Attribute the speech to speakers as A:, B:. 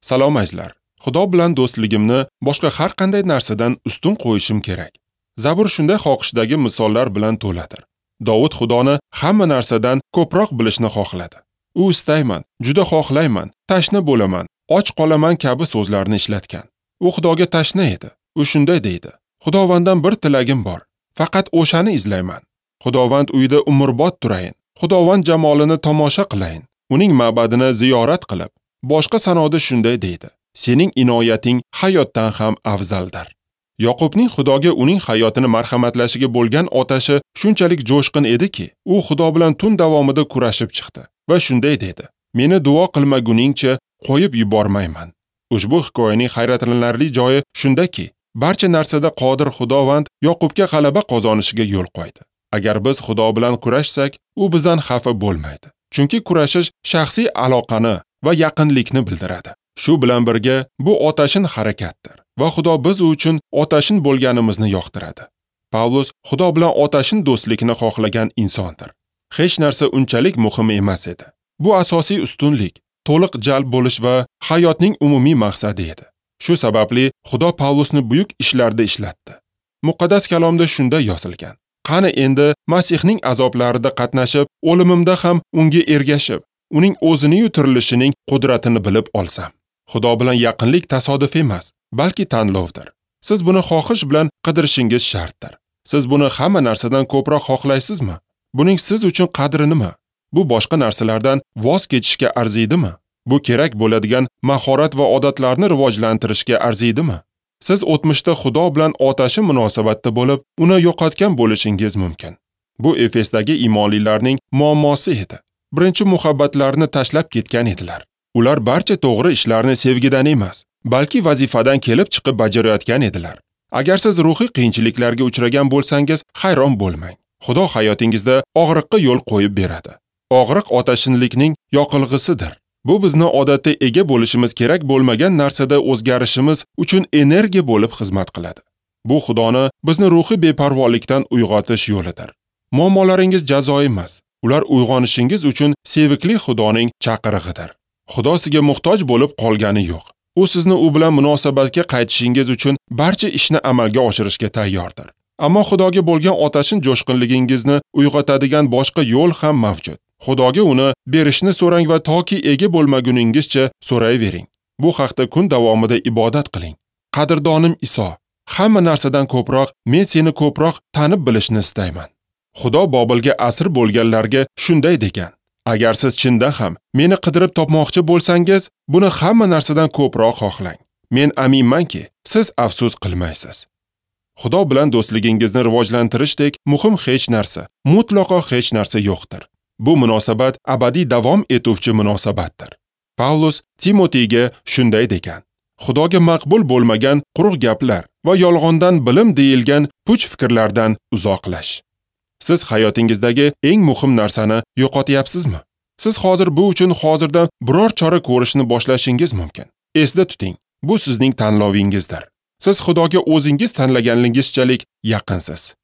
A: Salom azizlar. Xudo bilan do'stligimni boshqa har qanday narsadan ustun qo'yishim kerak. Zabur shunday xohishdagi misollar bilan to'ladir. Dovud Xudoni hamma narsadan ko'proq bilishni xohladi. U istayman, juda xohlayman, tashna bo'laman, och qolaman kabi so'zlarni ishlatgan. U Xudoga tashna edi. U shunday deydi: Xudovanddan bir tilagim bor, faqat o'shani izlayman. Xudovand uyida umrbod turayin. Xudovand jamolini tomosha qilayin. Uning ma'badini ziyorat qilib. Boshqa sanoda shunday deydi: Sening inoyating hayotdan ham afzaldir. Yoqubning Xudoga uning hayotini marhamatlashiga bo'lgan otashi shunchalik jo'shqin ediki, u Xudo bilan tun davomida kurashib chiqdi va shunday dedi: Meni duo qilmaguningcha qo'yib yubormayman. Ushbu hikoyaning hayratlanarli joyi shundaki, barcha narsada qodir Xudovand Yoqubga g'alaba qozonishiga yo'l qo'ydi. Agar biz Xudo bilan kurashsak, u bizdan xafa bo'lmaydi. Chunki kurashish shaxsiy aloqani va yaqinlikni bildiradi. Shu bilan birga bu otashin harakatdir va Xudo biz uchun otashin bo'lganimizni yoqtiradi. Pavlus Xudo bilan otashin do'stlikni xohlagan insondir. Hech narsa unchalik muhim emas edi. Bu asosiy ustunlik, to'liq jalb bo'lish va hayotning umumiy maqsadi edi. Shu sababli Xudo Pavlusni buyuk ishlarda ishlatdi. Muqaddas kalomda shunday yozilgan: Qani endi Masihning azoblarida qatnashib, o'limimda ham unga ergashib, uning o'zini tirilishining qudratini bilib olsam. Xudo bilan yaqinlik tasodif emas, balki tanlovdir. Siz buni xohish bilan qidirishingiz shartdir. Siz buni hamma narsadan ko'proq xohlaysizmi? Buning siz uchun qadri nima? Bu boshqa narsalardan voz kechishga arziydimi? Bu kerak bo'ladigan mahorat va odatlarni rivojlantirishga arziydimi? Siz o'tmishda Xudo bilan otashin munosabatda bo'lib, uni yo'qotgan bo'lishingiz mumkin. Bu Efesdagi iymonlilarning muammosi edi. Birinchi muhabbatlarini tashlab ketgan edilar. Ular barcha to'g'ri ishlarni sevgidan emas, balki vazifadan kelib chiqib bajarayotgan edilar. Agar siz ruhiy qiyinchiliklarga uchragan bo'lsangiz, hayron bo'lmang. Xudo hayotingizda og'riqqa yo'l qo'yib beradi. Og'riq otashinlikning yoqilg'isidir. Bu bizni odatda ega bo'lishimiz kerak bo'lmagan narsada o'zgarishimiz uchun energiya bo'lib xizmat qiladi. Bu Xudoni bizni ruhiy beparvolikdan uyg'otish yo'lidir. Muammolaringiz jazo emas, ular uyg'onishingiz uchun sevikli Xudoning chaqirig'idir. Xudo sizga muhtoj bo'lib qolgani yo'q. U sizni u bilan munosabatga qaytishingiz uchun barcha ishni amalga oshirishga tayyordir. Ammo Xudoga bo'lgan otashin jo'shqinligingizni uyg'otadigan boshqa yo'l ham mavjud. Xudoga uni berishni so'rang va toki ega bo'lmaguningizcha so'rayvering. Bu haqda kun davomida ibodat qiling. Qadrdonim Iso, hamma narsadan ko'proq men seni ko'proq tanib bilishni istayman. Xudo Bobilga asir bo'lganlarga shunday degan: Agar siz chindan ham meni qidirib topmoqchi bo'lsangiz, buni hamma narsadan ko'proq xohlang. Men aminmanki, siz afsus qilmaysiz. Xudo bilan do'stligingizni rivojlantirishdek muhim hech narsa, mutlaqo hech narsa yo'qdir. Bu munosabat abadiy davom etuvchi munosabatdir. Pavlus Timoteyga shunday degan: Xudoga maqbul bo'lmagan quruq gaplar va yolg'ondan bilim deyilgan puch fikrlardan uzoqlash. Siz hayotingizdagi eng muhim narsani yo'qotyapsizmi? Siz hozir bu uchun hozirdan biror chora ko'rishni boshlashingiz mumkin. Esda tuting, bu sizning tanlovingizdir. Siz Xudoga o'zingiz tanlaganligingizchalik yaqinsiz.